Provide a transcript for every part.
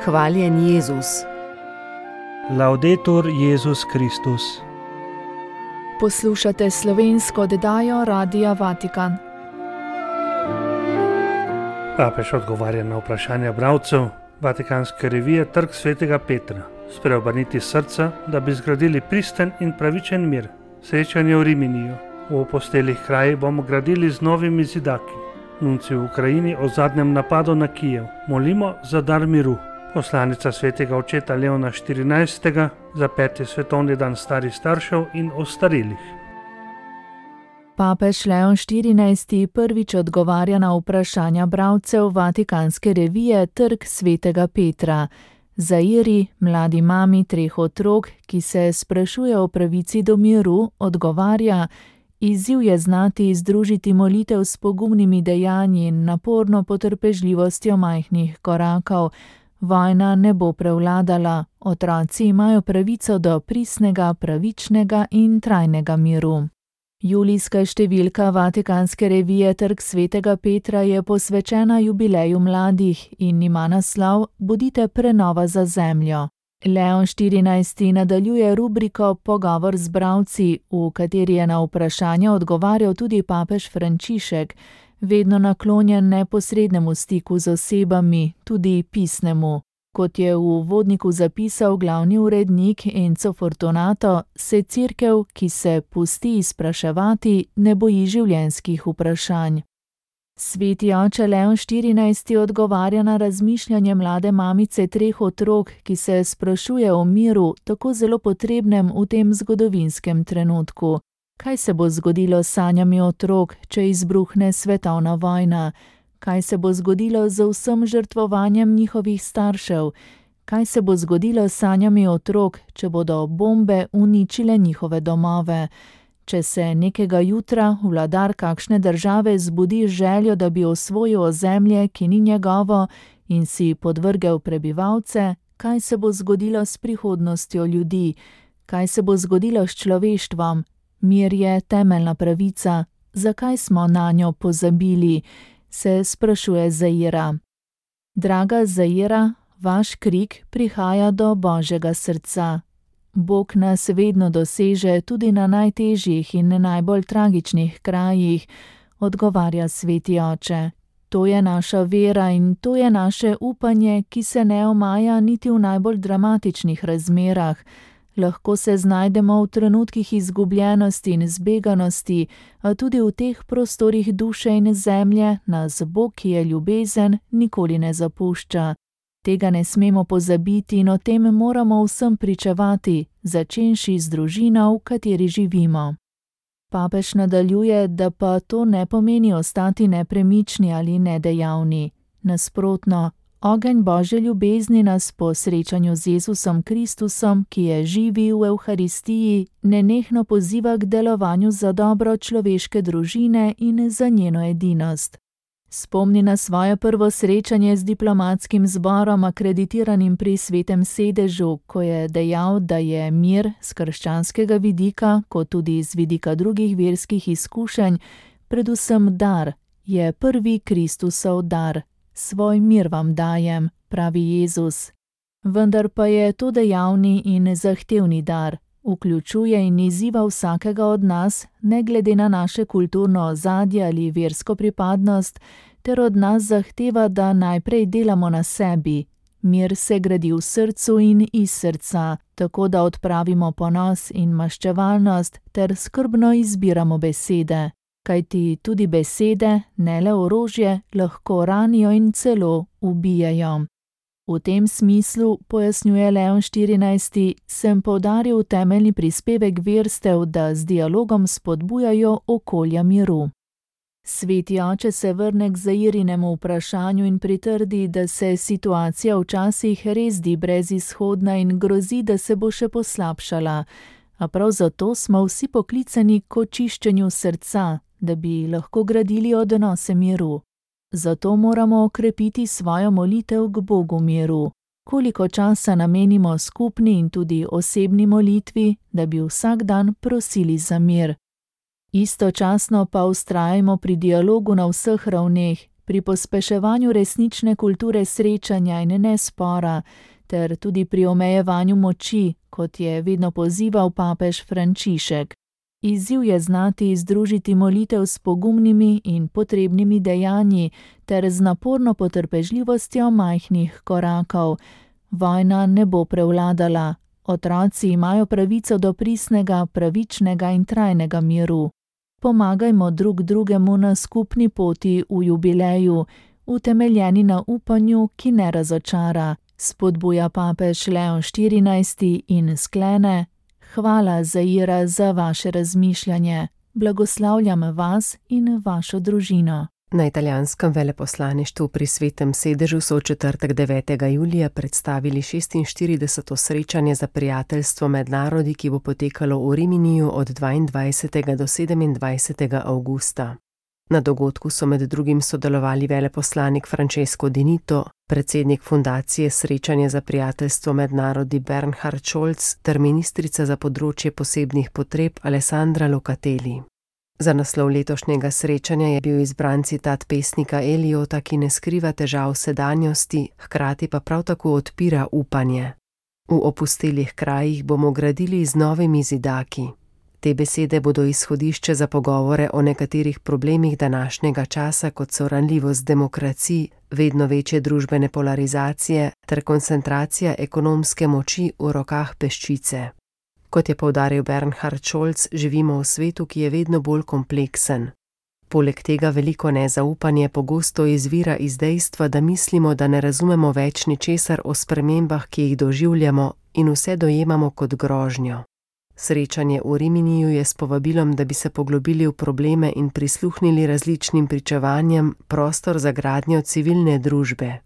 Hvaljen Jezus. Laudetur Jezus Kristus. Poslušate slovensko oddajo Radia Vatikan. Papež odgovarja na vprašanja bralcev Vatikanske revije Trg svetega Petra. Spreobrniti srca, da bi zgradili pristen in pravičen mir. Srečanje v Riminiju. V opustelih krajih bomo gradili z novimi zidaki. Nunci v Ukrajini o zadnjem napadu na Kijev. Molimo za dar miru. Poslanica svetega očeta Leona XIV. Za 5. svetovni dan starih staršev in ostarelih. Papež Leon XIV. Prvič odgovarja na vprašanja bralcev Vatikanske revije Trg svetega Petra. Zairi, mladi mami 3 otrok, ki se sprašuje o pravici do miru, odgovarja: izziv je znati združiti molitev s pogumnimi dejanji in naporno potrpežljivostjo majhnih korakov. Vojna ne bo prevladala, otroci imajo pravico do pristnega, pravičnega in trajnega miru. Julijska številka Vatikanske revije Trg svetega Petra je posvečena jubileju mladih in ima naslov Bodite prenova za zemljo. Leon XIV. Nadaljuje rubriko Pogovor z bralci, v kateri je na vprašanja odgovarjal tudi papež Frančišek, vedno naklonjen neposrednemu stiku z osebami, tudi pisnemu. Kot je v uvodniku zapisal glavni urednik Enzo Fortunato, se cerkev, ki se pusti izpraševati, ne boji življenjskih vprašanj. Sveti oče Leon XIV. Odgovarja na razmišljanje mlade mamice 3 otrok, ki se sprašuje o miru, tako zelo potrebnem v tem zgodovinskem trenutku. Kaj se bo zgodilo s sanjami otrok, če izbruhne svetovna vojna? Kaj se bo zgodilo z vsem žrtvovanjem njihovih staršev? Kaj se bo zgodilo s sanjami otrok, če bodo bombe uničile njihove domove? Če se nekega jutra vladar kakšne države zbudi željo, da bi osvojil ozemlje, ki ni njegovo, in si podvrgel prebivalce, kaj se bo zgodilo s prihodnostjo ljudi? Kaj se bo zgodilo s človeštvom? Mir je temeljna pravica. Zakaj smo nanjo pozabili? Se sprašuje Zaira. Draga Zaira, vaš krik prihaja do Božjega srca. Bog nas vedno doseže tudi na najtežjih in najbolj tragičnih krajih, odgovarja sveti oče. To je naša vera in to je naše upanje, ki se ne omaja niti v najbolj dramatičnih razmerah. Lahko se znajdemo v trenutkih izgubljenosti in zbeganosti, a tudi v teh prostorih duše in zemlje nas Bog, ki je ljubezen, nikoli ne zapušča. Tega ne smemo pozabiti in o tem moramo vsem pričevati, začenši z družino, v kateri živimo. Papež nadaljuje, da pa to ne pomeni ostati nepremični ali nedejavni. Nasprotno, ogenj Božje ljubezni nas po srečanju z Jezusom Kristusom, ki je živi v Evharistiji, nenehno poziva k delovanju za dobro človeške družine in za njeno edinost. Spomni na svoje prvo srečanje z diplomatskim zborom, akreditiranim pri Svetem sedežu, ko je dejal, da je mir z krščanskega vidika, kot tudi z vidika drugih verskih izkušenj, predvsem dar, je prvi Kristusov dar. Svoj mir vam dajem, pravi Jezus. Vendar pa je to dejavni in zahtevni dar. Vključuje in izziva vsakega od nas, ne glede na naše kulturno ozadje ali versko pripadnost, ter od nas zahteva, da najprej delamo na sebi. Mir se gradi v srcu in iz srca, tako da odpravimo ponos in maščevalnost ter skrbno izbiramo besede. Kajti tudi besede, ne le orožje, lahko ranijo in celo ubijajo. V tem smislu, pojasnjuje Leon XIV., sem poudaril temeljni prispevek verstev, da z dialogom spodbujajo okolja miru. Sveti oče se vrne k Zairinemu vprašanju in pritrdi, da se situacija včasih res zdi brezizhodna in grozi, da se bo še poslabšala. A prav zato smo vsi poklicani k očiščenju srca, da bi lahko gradili odnose miru. Zato moramo okrepiti svojo molitev k Bogu miru. Koliko časa namenimo skupni in tudi osebni molitvi, da bi vsak dan prosili za mir. Istočasno pa vztrajajmo pri dialogu na vseh ravneh, pri pospeševanju resnične kulture srečanja in ne spora, ter tudi pri omejevanju moči, kot je vedno pozival papež Frančišek. Izziv je znati združiti molitev s pogumnimi in potrebnimi dejanji ter z naporno potrpežljivostjo majhnih korakov. Vojna ne bo prevladala. Otroci imajo pravico do pristnega, pravičnega in trajnega miru. Pomagajmo drug drugemu na skupni poti v jubileju, utemeljeni na upanju, ki ne razočara, spodbuja papež Leon XIV in sklene: Hvala, Zaira, za vaše razmišljanje. Blagoslavljam vas in vašo družino. Na italijanskem veleposlaništvu pri Svetem sedežu so v četrtek 9. julija predstavili 46. srečanje za prijateljstvo med narodi, ki bo potekalo v Riminiju od 22. do 27. avgusta. Na dogodku so med drugim sodelovali veleposlanik Francesco Dinito, predsednik fundacije Srečanje za prijateljstvo med narodi Bernhard Scholz ter ministrica za področje posebnih potreb Alessandra Locatelli. Za naslov letošnjega srečanja je bil izbran citat pesnika Eliota, ki ne skriva težav sedanjosti, hkrati pa prav tako odpira upanje. V opustelih krajih bomo gradili z novimi zidaki. Te besede bodo izhodišče za pogovore o nekaterih problemih današnjega časa, kot so ranljivost demokracij, vedno večje družbene polarizacije ter koncentracija ekonomske moči v rokah peščice. Kot je poudaril Bernhard Scholz, živimo v svetu, ki je vedno bolj kompleksen. Poleg tega veliko nezaupanje pogosto izvira iz dejstva, da mislimo, da ne razumemo več ničesar o spremembah, ki jih doživljamo, in vse dojemamo kot grožnjo. Srečanje v Riminiju je s povabilom, da bi se poglobili v probleme in prisluhnili različnim pričevanjem, prostor za gradnjo civilne družbe.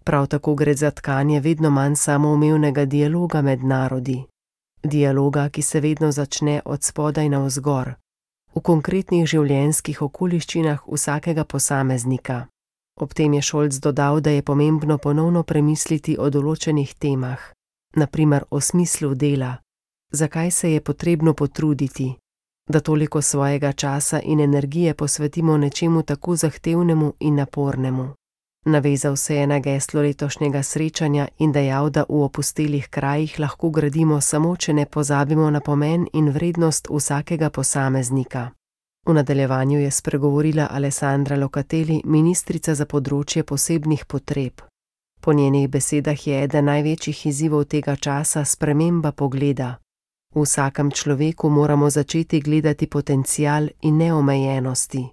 Prav tako gre za tkanje vedno manj samoumevnega dialoga med narodi. Dialoga, ki se vedno začne od spodaj navzgor, v konkretnih življenjskih okoliščinah vsakega posameznika. Ob tem je Scholz dodal, da je pomembno ponovno premisliti o določenih temah, na primer o smislu dela, zakaj se je potrebno potruditi, da toliko svojega časa in energije posvetimo nečemu tako zahtevnemu in napornemu. Navezal se je na geslo letošnjega srečanja in dejal, da v opustelih krajih lahko gradimo samo, če ne pozabimo na pomen in vrednost vsakega posameznika. V nadaljevanju je spregovorila Alessandra Locatelli, ministrica za področje posebnih potreb. Po njenih besedah je eden največjih izzivov tega časa sprememba pogleda. V vsakem človeku moramo začeti gledati potencial in neomejenosti.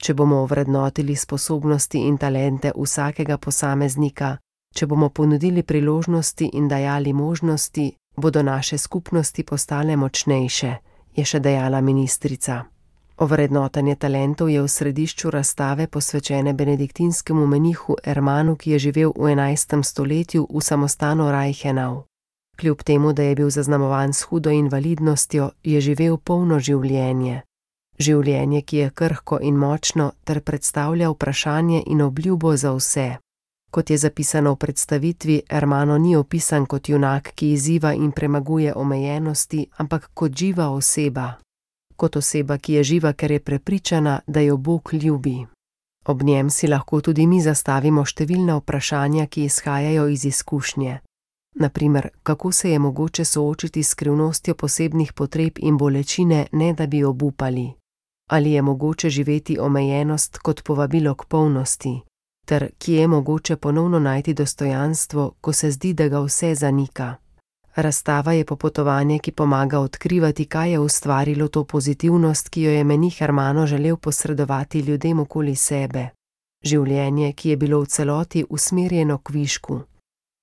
Če bomo ovrednotili sposobnosti in talente vsakega posameznika, če bomo ponudili priložnosti in dajali možnosti, bodo naše skupnosti postale močnejše, je še dejala ministrica. Ovrednotenje talentov je v središču razstave posvečene benediktinskemu menihu Ermanu, ki je živel v 11. stoletju v samostanu Reichenau. Kljub temu, da je bil zaznamovan s hudo invalidnostjo, je živel polno življenje. Življenje, ki je krhko in močno, ter predstavlja vprašanje in obljubo za vse. Kot je zapisano v predstavitvi, Ermano ni opisan kot junak, ki izziva in premaguje omejenosti, ampak kot živa oseba. Kot oseba, ki je živa, ker je prepričana, da jo Bog ljubi. Ob njem si lahko tudi mi zastavimo številna vprašanja, ki izhajajo iz izkušnje. Na primer, kako se je mogoče soočiti s skrivnostjo posebnih potreb in bolečine, ne da bi obupali? Ali je mogoče živeti omejenost kot povabilo k polnosti? Ter kje je mogoče ponovno najti dostojanstvo, ko se zdi, da ga vse zanika? Razstava je popotovanje, ki pomaga odkrivati, kaj je ustvarilo to pozitivnost, ki jo je menih Ermano želel posredovati ljudem okoli sebe. Življenje, ki je bilo v celoti usmerjeno k višku.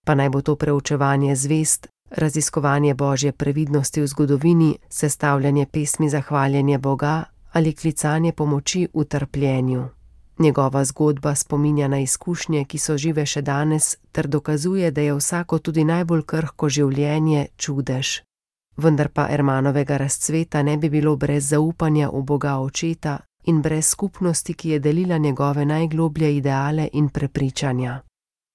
Pa naj bo to preučevanje zvezd, raziskovanje Božje previdnosti v zgodovini, sestavljanje pesmi za hvaljenje Boga ali klicanje pomoči v trpljenju. Njegova zgodba spominja na izkušnje, ki so žive še danes, ter dokazuje, da je vsako tudi najbolj krhko življenje čudež. Vendar pa Ermanovega razcveta ne bi bilo brez zaupanja v Boga Očeta in brez skupnosti, ki je delila njegove najgloblje ideale in prepričanja.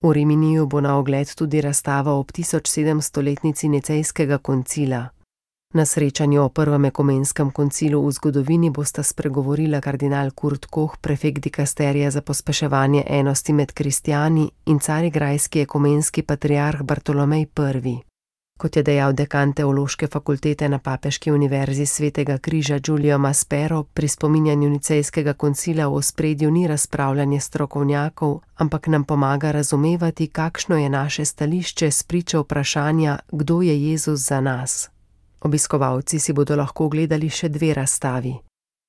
V Riminiju bo na ogled tudi razstava ob 1700-letnici Nicejskega koncila. Na srečanju o prvem ekumenskem koncilu v zgodovini bosta spregovorila kardinal Kurt Koch, prefekt dikasterija za pospeševanje enosti med kristjani, in carigrajski ekumenski patriarh Bartolomej I. Kot je dejal dekan teološke fakultete na Papeški univerzi Svetega križa Giulio Maspero, pri spominjanju nicejskega koncila v ospredju ni razpravljanje strokovnjakov, ampak nam pomaga razumevati, kakšno je naše stališče spričo vprašanja, kdo je Jezus za nas. Obiskovalci si bodo lahko ogledali še 2 razstavi.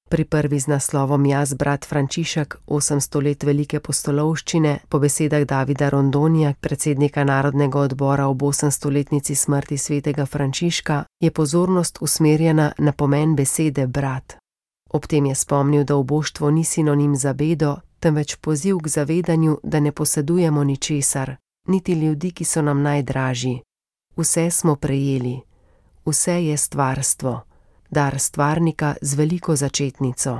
Pri prvi z naslovom Jaz, brat Frančišek, 800 let velike postolovščine, po besedah Davida Rondonija, predsednika Narodnega odbora ob 800-letnici smrti svetega Frančiška, je pozornost usmerjena na pomen besede brat. Ob tem je spomnil, da uboštvo ni sinonim za bedo, temveč poziv k zavedanju, da ne posedujemo ničesar, niti ljudi, ki so nam najdražji. Vse smo prejeli. Vse je stvarstvo, dar stvarnika z veliko začetnico.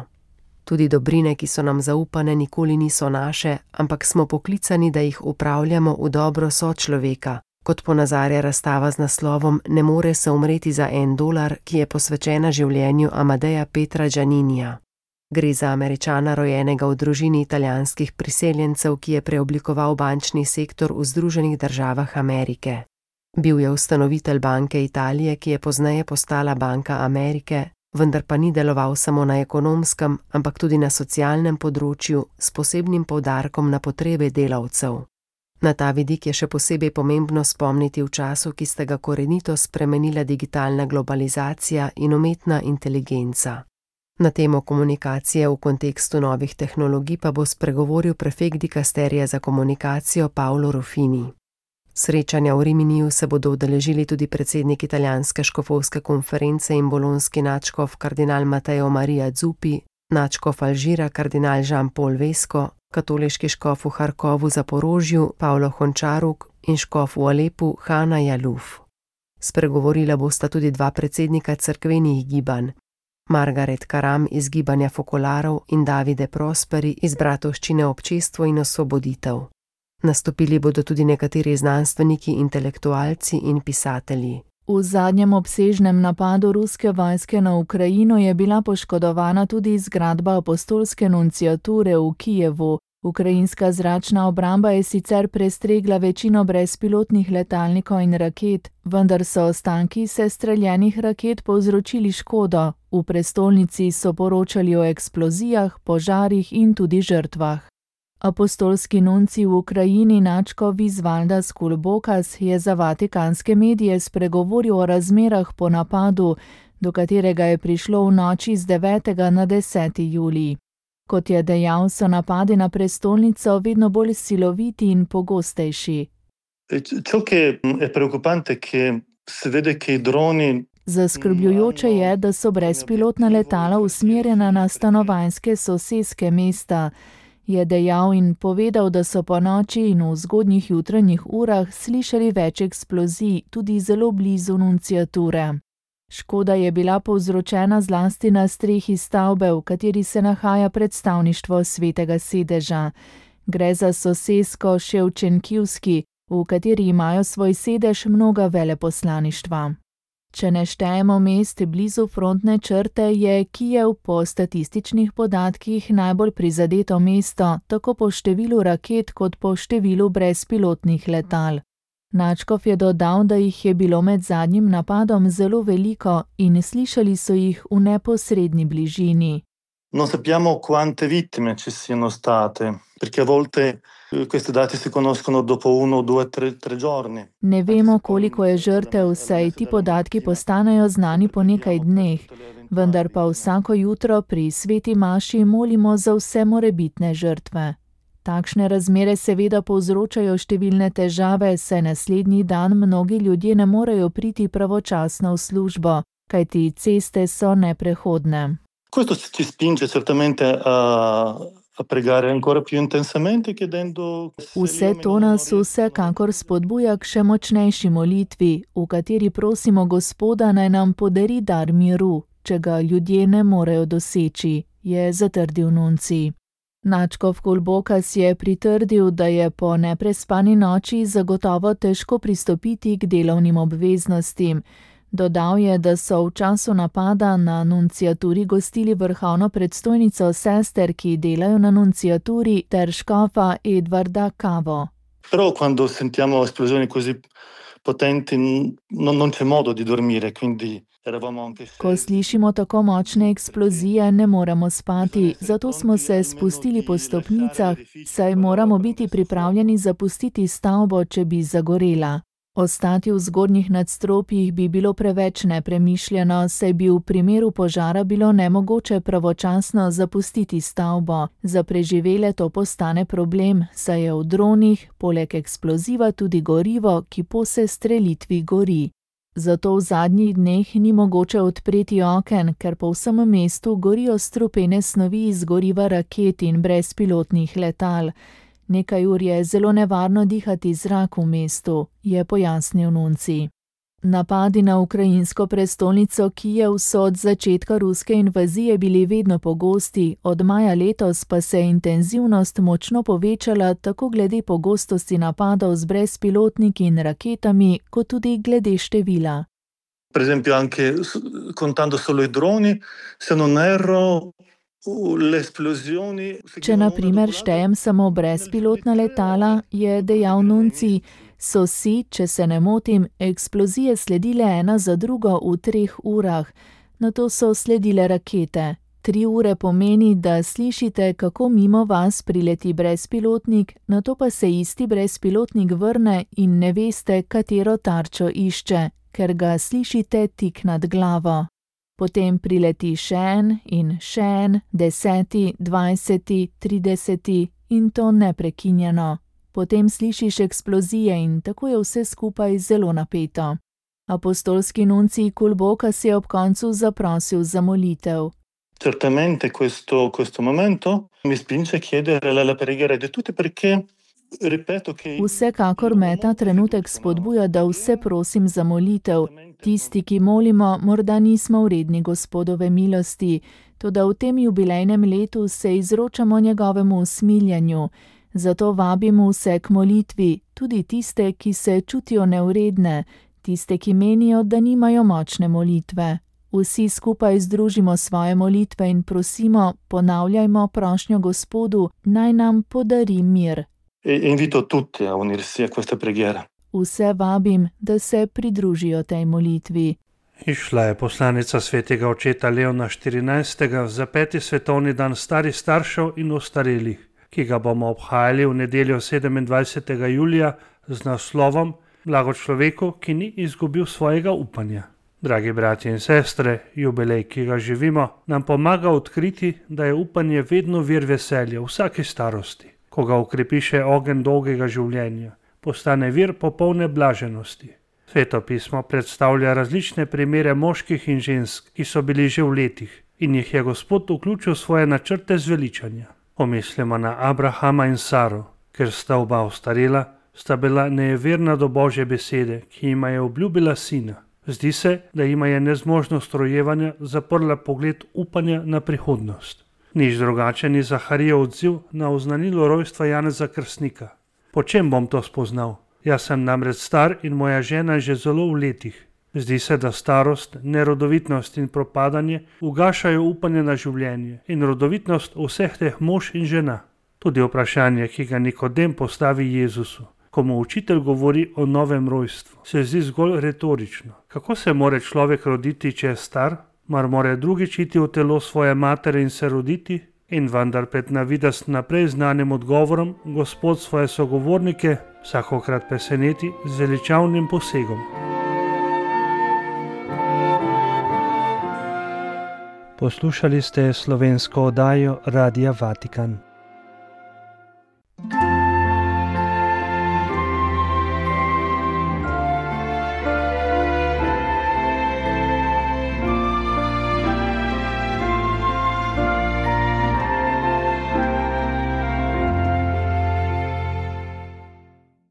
Tudi dobrine, ki so nam zaupane, nikoli niso naše, ampak smo poklicani, da jih upravljamo v dobro sočloveka, kot ponazarja razstava z naslovom Ne more se umreti za $1, ki je posvečena življenju Amadeja Petra Gianninija. Gre za Američana, rojenega v družini italijanskih priseljencev, ki je preoblikoval bančni sektor v Združenih državah Amerike. Bil je ustanovitelj Banke Italije, ki je pozneje postala Banka Amerike, vendar pa ni deloval samo na ekonomskem, ampak tudi na socialnem področju, s posebnim poudarkom na potrebe delavcev. Na ta vidik je še posebej pomembno spomniti v času, ki sta ga korenito spremenila digitalna globalizacija in umetna inteligenca. Na temo komunikacije v kontekstu novih tehnologij pa bo spregovoril prefekt dikasterija za komunikacijo Paolo Ruffini. Srečanja v Riminiju se bodo udeležili tudi predsednik italijanske škofovske konference in bolonski nadškof kardinal Matteo Maria Zuppi, nadškof Alžira kardinal Jean-Paul Vesco, katoliški škof v Harkovu Zaporožju Paolo Hončaruk in škof v Alepu Hana Jaluf. Spregovorila bosta tudi 2 predsednika cerkvenih gibanj, Margaret Karam iz gibanja Fokolarov in Davide Prosperi iz Bratovščine Občestvo in osvoboditev. Nastopili bodo tudi nekateri znanstveniki, intelektualci in pisatelji. V zadnjem obsežnem napadu ruske vojske na Ukrajino je bila poškodovana tudi zgradba apostolske nunciature v Kijevu. Ukrajinska zračna obramba je sicer prestregla večino brezpilotnih letalnikov in raket, vendar so ostanki sestreljenih raket povzročili škodo. V prestolnici so poročali o eksplozijah, požarih in tudi žrtvah. Apostolski nuncij v Ukrajini nadškof Visvaldas Kulbokas je za vatikanske medije spregovoril o razmerah po napadu, do katerega je prišlo v noči z 9. na 10. julij. Kot je dejal, so napadi na prestolnico vedno bolj siloviti in pogostejši. Zaskrbljujoče je, da so brezpilotna letala usmerjena na stanovanjske soseske mesta, je dejal in povedal, da so po noči in v zgodnjih jutranjih urah slišali več eksplozij, tudi zelo blizu nunciature. Škoda je bila povzročena zlasti na strehi stavbe, v kateri se nahaja predstavništvo Svetega sedeža. Gre za sosesko Ševčenkivski, v kateri imajo svoj sedež mnoga veleposlaništva. Če ne štejemo mest blizu frontne črte, je Kijev po statističnih podatkih najbolj prizadeto mesto, tako po številu raket kot po številu brezpilotnih letal. Nadškof je dodal, da jih je bilo med zadnjim napadom zelo veliko in slišali so jih v neposredni bližini. Non sappiamo quante vittime ci siano state, perché a volte questi dati si conoscono dopo 1, 2, 3 giorni. Ne vemo, koliko je žrtev, saj ti podatki postanejo znani po nekaj dneh, vendar pa vsako jutro pri sveti maši molimo za vse morebitne žrtve. Takšne razmere seveda povzročajo številne težave, saj naslednji dan mnogi ljudje ne morejo priti pravočasno v službo, kajti ceste so neprehodne. Questo ci spinge certamente a pregare ancora più intensamente, chiedendo. Vse to nas vsekakor spodbuja k še močnejši molitvi, v kateri prosimo Gospoda, naj nam podari dar miru, če ga ljudje ne morejo doseči, je zatrdil nuncij. Nadškof Kulbokas je pritrdil, da je po neprespani noči zagotovo težko pristopiti k delovnim obveznostim. Dodal je, da so v času napada na nunciaturi gostili vrhovno predstojnico sester, ki delajo na nunciaturi, ter škofa Edvarda Cavo. Però quando sentiamo esplosioni così potenti non c'è modo di dormire, quindi eravamo anche Ko slišimo tako močne eksplozije, ne moremo spati, zato smo se spustili po stopnicah, saj moramo biti pripravljeni zapustiti stavbo, če bi zagorela. Ostati v zgornjih nadstropjih bi bilo preveč nepremišljeno, saj bi v primeru požara bilo nemogoče pravočasno zapustiti stavbo. Za preživele to postane problem, saj je v dronih poleg eksploziva tudi gorivo, ki po sestrelitvi gori. Zato v zadnjih dneh ni mogoče odpreti oken, ker po vsem mestu gorijo strupene snovi iz goriva raket in brezpilotnih letal. Nekaj ur je zelo nevarno dihati zrak v mestu, je pojasnil nuncij. Napadi na ukrajinsko prestolnico Kijev so od začetka ruske invazije bili vedno pogosti, od maja letos pa se je intenzivnost močno povečala tako glede pogostosti napadov z brezpilotniki in raketami, kot tudi glede števila. Per esempio anche contando solo i droni, se non erro, le esplosioni... Če na primer štejem samo brezpilotna letala, je dejal nuncij, so si, če se ne motim, eksplozije sledile ena za drugo v 3 urah, nato so sledile rakete. 3 ure pomeni, da slišite, kako mimo vas prileti brezpilotnik, nato pa se isti brezpilotnik vrne in ne veste, katero tarčo išče, ker ga slišite tik nad glavo. Potem prileti še en in še en, 10., 20., 30. in to neprekinjeno. Potem slišiš eksplozije in tako je vse skupaj zelo napeto. Apostolski nuncij Kulbokas je ob koncu zaprosil za molitev. Certamente questo momento mi spinge a chiedere la preghiera di tutti perché ripeto che... Vsekakor me ta trenutek spodbuja, da vse prosim za molitev. Tisti, ki molimo, morda nismo vredni Gospodove milosti, toda v tem jubilejnem letu se izročamo njegovemu usmiljanju. Zato vabimo vse k molitvi, tudi tiste, ki se čutijo nevredne, tiste, ki menijo, da nimajo močne molitve. Vsi skupaj združimo svoje molitve in prosimo, ponavljajmo prošnjo Gospodu, naj nam podari mir. Invito tutti a unirsi a questa preghiera. Vse vabim, da se pridružijo tej molitvi. Išla je poslanica svetega očeta Leona XIV za 5. svetovni dan starih staršev in ostarelih, ki ga bomo obhajali v nedeljo 27. julija z naslovom Blago človeku, ki ni izgubil svojega upanja. Dragi bratje in sestre, jubilej, ki ga živimo, nam pomaga odkriti, da je upanje vedno vir veselja v vsaki starosti. Ko ga okrepi še ogenj dolgega življenja, postane vir popolne blaženosti. Sveto pismo predstavlja različne primere moških in žensk, ki so bili že v letih in jih je Gospod vključil v svoje načrte zveličanja. Pomislimo na Abrahama in Saro, ker sta oba ostarela, sta bila nejeverna do Božje besede, ki jima je obljubila sina. Zdi se, da jima je nezmožnost rojevanja zaprla pogled upanja na prihodnost. Nič drugače ni Zaharijev odziv na oznanilo rojstva Janeza Krstnika. Po čem bom to spoznal? Jaz sem namreč star in moja žena je že zelo v letih. Zdi se, da starost, nerodovitnost in propadanje ugašajo upanje na življenje in rodovitnost vseh teh mož in žena. Tudi vprašanje, ki ga Nikodem postavi Jezusu, ko mu učitelj govori o novem rojstvu, se zdi zgolj retorično. Kako se more človek roditi, če je star? Mar more drugič iti v telo svoje matere in se roditi? In vendar pred navidez naprej znanim odgovorom Gospod svoje sogovornike vsakokrat preseneti z veličavnim posegom. Poslušali ste slovensko oddajo Radia Vatikan.